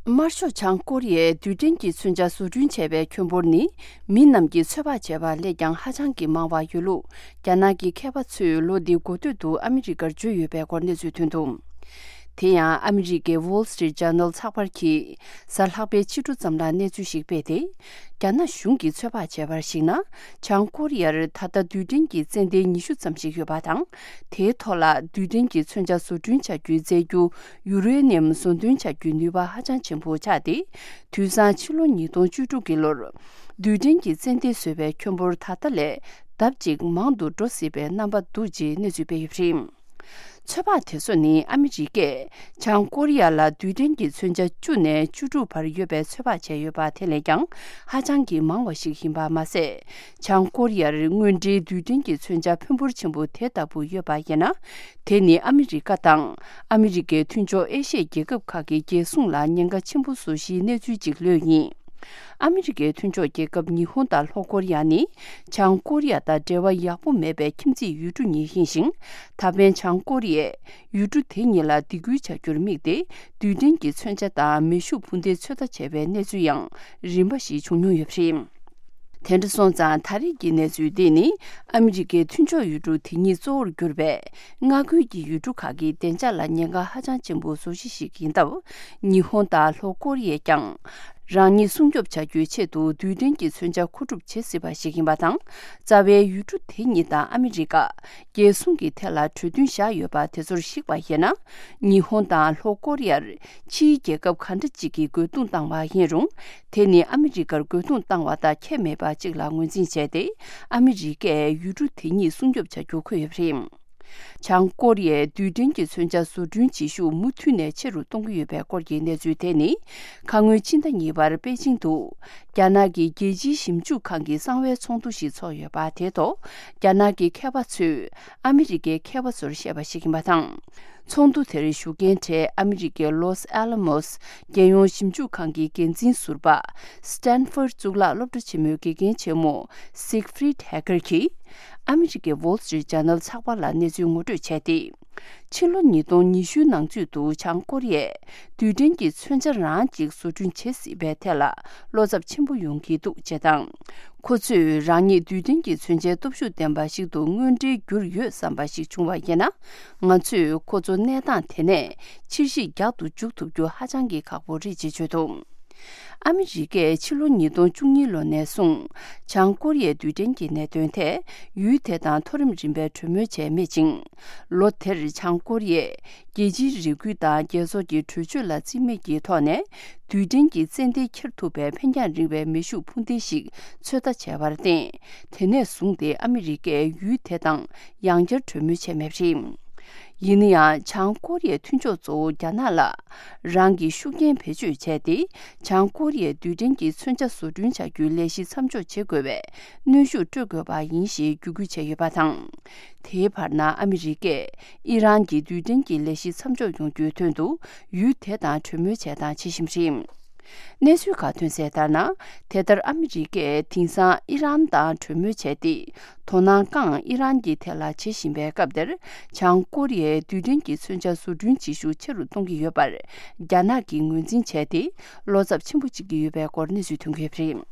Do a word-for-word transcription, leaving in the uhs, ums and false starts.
དམར་ཤོག་བྱང་ཀོ་རི་ཡས་རྡུལ་ཕྲན་གྱི་མཚོན་ཆ་བཟོ་སྐྲུན་བྱས་པའི་ཁྱོན་འབོར་ནི། མི་རྣམས་ཀྱིས་ཚོད་དཔག་བྱས་པ་ལས་ཀྱང་ཧ་ཅང་གི་མང་བ་ཡོད་ལུགས། རྒྱ་ནག་གི་མཁས་པ་ཚོས་ལོ་འདིའི་འགོ་སྟོད་དུ་ཨ་མི་རི་ཀར་བརྗོད་ཡོད་པའི་སྐོར་གནས་ཚུལ་ཐོན་འདུག་དེ་ཡང་ཨ་མི་རི་ཀའི་Wall Street Journal་ཚགས་པར་གྱིས་གཟའ་ལྷག་པའི་ཕྱི་དྲོ་ཙམ་ལ་གནས་ཚུལ་ཞིག་སྤེལ་ཏེ། རྒྱ་ནག་གཞུང་གིས་ཚོད་དཔག་བྱས་པར་གཞིགས་ན། བྱང་ཀོ་རི་ཡར་ད་ལྟ་རྡུལ་ཕྲན་གྱི་ཙན་དན་ཉི་ཤུ་ཙམ་ཞིག་ཡོད་པ་དང་། དེའི་ཐོག་ལ་རྡུལ་ཕྲན་གྱི་མཚོན་ཆ་བཟོ་སྐྲུན་བྱ་རྒྱུའི་རྫས་འགྱུར་ཡུ་རེ་ནི་ཡམ་བཟོ་འདོན་བྱ་རྒྱུའི་ནུས་པ་ཧ་ཅང་ཆེན་པོ་ཆགས་ཏེ། དུས་སང་ཕྱི་ལོ་ཉིས་སྟོང་བཅུ་དྲུག་གི་ལོར། རྡུལ་ཕྲན་གྱི་ཙན་དན་བཟོ་བའི་ཁྱོན་འབོར་ད་ལྟ་ལས་ལྡབ་གཅིག་མང་དུ་འགྲོ་སྲིད་པའི་རྣམ་པ་འདུག་ཅེས་གནས་ཚུལ་སྤེལ་ཡོད་པ་རེད། ཚོད་དཔག་དེ་ཚོ་ནི་ཨ་མི་རི་ཀས་བྱང་ཀོ་རི་ཡ་ལ་རྡུལ་ཕྲན་གྱི་མཚོན་ཆ་བཅུ་ནས་བཅུ་དྲུག་བར་ཡོད་པའི་ཚོད་དཔག་བྱས་ཡོད་པ་དེ་ལས་ཀྱང་ཧ་ཅང་གི་མང་བ་ཞིག་ཡིན་པ་མ་ཟད། བྱང་ཀོ་རི་ཡར་དངོས་འབྲེལ་རྡུལ་ཕྲན་གྱི་མཚོན་ཆ་ཕོན་པོར་ཆེན་པོ་དེ་ལྟ་བུ་ཡོད་པ་ཡིན་ན། དེ་ནི་ཨ་མི་རི་ཀ་དང་ཨ་མི་རི་ཀའི་མཐུན་ཕྱོགས་ཨེ་ཤི་ཡའི་རྒྱལ་ཁབ་ཁག་གི་རྒྱལ་སྲུང་ལ་ཉེན་ཁ་ཆེན་པོ་བཟོ་གཞིའི་གནས་ཚུལ་ཅིག་ལོས་ཡིན། ཨ་མི་རི་ཀའི་མཐུན་ཕྱོགས་རྒྱལ་ཁབ་ཉི་ཧོང་དང་ལྷོ་ཀོ་རི་ཡ་ནི། བྱང་ཀོ་རི་ཡ་དང་འབྲེལ་བ་ཡག་པོ་མེད་པའི་ཁྱིམ་མཚེས་ཡུལ་གྲུ་གཉིས་ཡིན་ཞིང་། ད་ཕན་བྱང་ཀོ་རི་ཡས་ཡུལ་གྲུ་དེ་གཉིས་ལ་སྡིགས་སྐུལ་བྱ་རྒྱུར་དམིགས་ཏེ། རྡུལ་ཕྲན་གྱི་མཚོན་ཆ་དང་མེ་ཤུགས་འཕུར་མདེལ་ཚོད་ལྟ་བྱས་པའི་གནས་ཚུལ་ཡང་རིམ་པ་ཞིག་བྱུང་མྱོང་ཡོད་པ་རེད། དེ་འདྲ་སོང་ཙང་ད་རེས་ཀྱི་གནས་ཚུལ་འདི་ནི་ཨ་མི་རི་ཀའི་མཐུན་ཕྱོགས་ཡུལ་གྲུ་དེ་གཉིས་གཙོ་བོར་གྱུར་པའི་མངའ་ཁུལ་གྱི་ཡུལ་གྲུ་ཁག་གི་བདེ་འཇགས་ལ་ཉེན་ཁ་ཧ་ཅང་ཆེན་པོ་བཟོ་གཞི་ཞིག་ཡིན་སྟབས། ཉི་ཧོང་དང་ལྷོ་ཀོ་རི་ཡས་ཀྱང་རང་ཉིད་སྲུང་སྐྱོབ་བྱ་རྒྱུའི་ཆེད་དུ་རྡུལ་ཕྲན་གྱི་མཚོན་ཆ་མཁོ་སྒྲུབ་བྱེད་སྲིད་པ་ཞིག་ཡིན་པ་དང་། རྩ་བའི་ཡུལ་གྲུ་དེ་གཉིས་དང་ཨ་མི་རི་ཀ་རྒྱལ་སྲུང་གི་ཐད་ལ་གྲོས་མཐུན་བཞག་ཡོད་པ་དེ་ཚོར་གཞིགས་པ་ཡིན་ན། ཉི་ཧོང་དང་ལྷོ་ཀོ་རི་ཡར་ཕྱིའི་རྒྱལ་ཁབ་ག་འདྲ་ཅིག་གིས་རྒོལ་རྡུང་བཏང་བ་ཡིན་རུང་། དེ་ནི་ཨ་མི་རི་ཀར་རྒོལ་རྡུང་བཏང་བ་དང་ཁྱད་མེད་པ་ཅིག་ལ་ངོས་འཛིན་བྱས་ཏེ། ཨ་མི་རི་ཀས་ཡུལ་གྲུ་དེ་གཉིས་སྲུང་སྐྱོབ་བྱ་རྒྱུ་འཁོད་ཡོད་པ་རེད། བྱང་ཀོ་རི་ཡས་རྡུལ་ཕྲན་གྱི་མཚོན་ཆ་བཟོ་སྐྲུན་བྱེད་ཤུགས་མུ་མཐུད་ནས་ཆེ་རུ་གཏོང་གི་ཡོད་པའི་སྐོར་གྱི་གནས་ཚུལ་དེ་ནི། ཁ་སྔོན་ཕྱི་ཟླ་གཉིས་པར་པེ་ཅིང་དུ། རྒྱ་ནག་གི་རྒྱལ་སྤྱིའི་ཞིབ་འཇུག་ཁང་གི་གསང་བའི་ཚོགས་འདུ་ཞིག་ཚོགས་ཡོད་པ་དེའི་ཐོག་རྒྱ་ནག་གི་མཁས་པ་ཚོས་ཨ་མི་རི་ཀའི་མཁས་པ་ཚོར་བཤད་པ་ཞིག་ཡིན་པ་དང་། ཚོགས་འདུ་དེར་ཞུགས་མཁན་གྲས་ཨ་མི་རི་ཀའི་ལོས་ཨ་ལ་མོས་རྒྱལ་ཡོངས་ཞིབ་འཇུག་ཁང་གི་འགན་འཛིན་ཟུར་པ། སི་ཏན་ཧྥོར་གཙུག་ལག་སློབ་གྲྭ་ཆེན་མོའི་དགེ་རྒན་ཆེན་མོ་སིག་ཧྥི་རིད་ཧེ་ཀར་གྱིས། ཨ་མི་རི་ཀའི་Wall Street Journal་ཚགས་པར་ལ་གནས་ཚུལ་ངོ་སྤྲོད་བྱས་ཏེ། ཕྱི་ལོ་ཉིས་སྟོང་ཉི་ཤུའི་ནང་ཚུད་དུ་བྱང་ཀོ་རི་ཡས་རྡུལ་ཕྲན་གྱི་མཚོན་ཆ་རང་གཅིག་བཟོ་སྐྲུན་བྱེད་སྲིད་པའི་ཐད་ལ་བློ་འཚབ་ཆེན་པོ་ཡོང་གི་འདུག་ཅེས་དང་། ཁོ་ཚོས་རང་ཉིད་རྡུལ་ཕྲན་གྱི་མཚོན་ཆའི་སྟོབས་ཤུགས་ལྡན་པ་ཞིག་ཏུ་དངོས་འབྲེལ་གྱུར་ཡོད་བསམ་པ་ཞིག་བྱུང་བ་ཡིན་ན། ང་ཚོས་ཁོ་ཚོ་གནས་སྟངས་དེ་ནས་ཕྱིར་བཤིག་རྒྱག་ཏུ་འཇུག་ཐུབ་རྒྱུ་ཧ་ཅང་གི་ཁག་པོ་རེད་ཅེས་བརྗོད་འདུག་ཨ་མི་རི་ཀས་ཕྱི་ལོ་ཉིས་སྟོང་བཅུ་གཉིས་ལོ་ནས་བཟུང་བྱང་ཀོ་རི་ཡའི་རྡུལ་ཕྲན་གྱི་གནད་དོན་ཐད་ཡུལ་དེ་དང་མཐོ་རིམ་རིམ་པའི་གྲོས་མོལ་བྱས་མེད་ཅིང་། ལོ་དེར་བྱང་ཀོ་རི་ཡས་རྒྱལ་སྤྱིའི་རེ་སྐུལ་དང་རྒྱལ་ཚོགས་ཀྱི་གྲོས་ཆོད་ལ་རྩིས་མེད་ཀྱི་ཐོག་ནས་རྡུལ་ཕྲན་གྱི་ཙན་དན་འཁྱེར་ཐུབ་པའི་འཕེན་རྒྱང་རིང་བའི་མེ་ཤུགས་འཕུར་མདེལ་ཞིག་ཚོད་ལྟ་བྱས་པར་བརྟེན། དེ་ནས་བཟུང་སྟེ་ཨ་མི་རི་ཀས་ཡུལ་དེ་དང་ཡང་བསྐྱར་གྲོས་མོལ་བྱས་མེད་པ་རེད། ཡིན་ན་ཡང་། བྱང་ཀོ་རི་ཡའི་མཐུན་ཕྱོགས་གཙོ་བོ་རྒྱ་ནག་ལ་རང་གི་ཤུགས་རྐྱེན་བེད་སྤྱོད་བྱས་ཏེ། བྱང་ཀོ་རི་ཡའི་རྡུལ་ཕྲན་གྱི་མཚོན་ཆ་བཟོ་སྐྲུན་བྱ་རྒྱུའི་ལས་གཞི་མཚམས་འཇོག་བྱེད་དགོས་པའི་གནོན་ཤུགས་སྤྲོད་དགོས་པ་ཡིན་ཞེས་བརྒྱུད་སྐུལ་བྱས་ཡོད་པ་དང་། དེའི་བར་ན་ཨ་མི་རི་ཀས་ཨི་རན་གྱི་རྡུལ་ཕྲན་གྱི་ལས་གཞི་མཚམས་འཇོག་ཡོང་རྒྱུའི་དོན་དུ་ཡུལ་དེ་དང་གྲོས་མོལ་བྱས་དང་བྱེད་བཞིན་པ་རེད། གནས་ཚུལ་ཁག་ཐོན་གསལ་ལྟར་ན། དེ་ལྟར་ཨ་མི་རི་ཀས་དེང་སང་ཨི་རན་དང་གྲོས་མོལ་བྱས་ཏེ། དོ་སྣང་གང་ཨི་རན་གྱི་ཐད་ལ་བྱེད་བཞིན་པའི་སྐབས་དེར། བྱང་ཀོ་རི་ཡས་རྡུལ་ཕྲན་གྱི་མཚོན་ཆ་བཟོ་སྐྲུན་བྱེད་ཤུགས་ཆེ་རུ་གཏོང་གི་ཡོད་པར། རྒྱ་ནག་གིས་ངོས་འཛིན་བྱས་ཏེ། བློ་འཚབ་ཆེན་པོ་བྱེད་ཀྱི་ཡོད་པའི་སྐོར་གནས་ཚུལ་ཐོན་གྱི་ཡོད་པ་རེད།